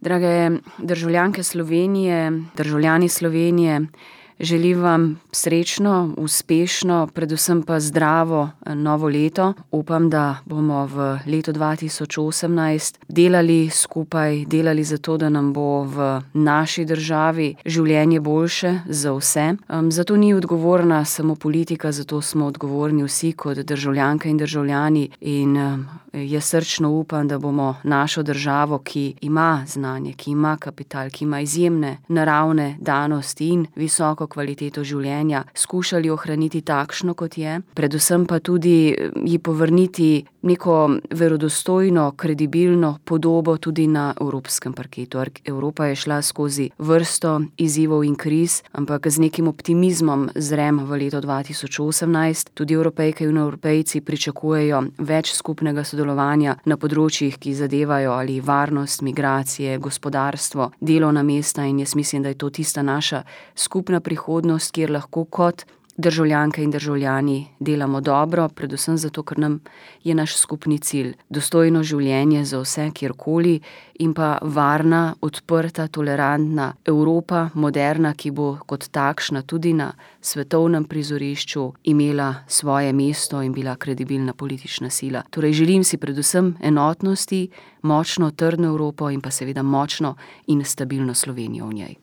Drage državljanke Slovenije, državljani Slovenije, želim vam srečno, uspešno, predvsem pa zdravo novo leto. Upam, da bomo v letu 2018 delali skupaj, delali za to, da nam bo v naši državi življenje boljše za vse. Zato ni odgovorna samo politika, zato smo odgovorni vsi kot državljanke in državljani in jaz srčno upam, da bomo našo državo, ki ima znanje, ki ima kapital, ki ima izjemne naravne danosti in visoko kvaliteto življenja, skušali ohraniti takšno, kot je, predvsem pa tudi ji povrniti neko verodostojno, kredibilno podobo tudi na evropskem parketu. Evropa je šla skozi vrsto izzivov in kriz, ampak z nekim optimizmom zrem v leto 2018. Tudi Evropejke in Evropejci pričakujejo več skupnega sodelovanja na področjih, ki zadevajo ali varnost, migracije, gospodarstvo, delovna mesta, in jaz mislim, da je to tista naša skupna prihodnost, kjer lahko kot državljanke in državljani delamo dobro, predvsem zato, ker nam je naš skupni cilj dostojno življenje za vse, kjerkoli, in pa varna, odprta, tolerantna Evropa, moderna, ki bo kot takšna tudi na svetovnem prizorišču imela svoje mesto in bila kredibilna politična sila. Torej želim si predvsem enotnosti, močno, trdno Evropo in pa seveda močno in stabilno Slovenijo v njej.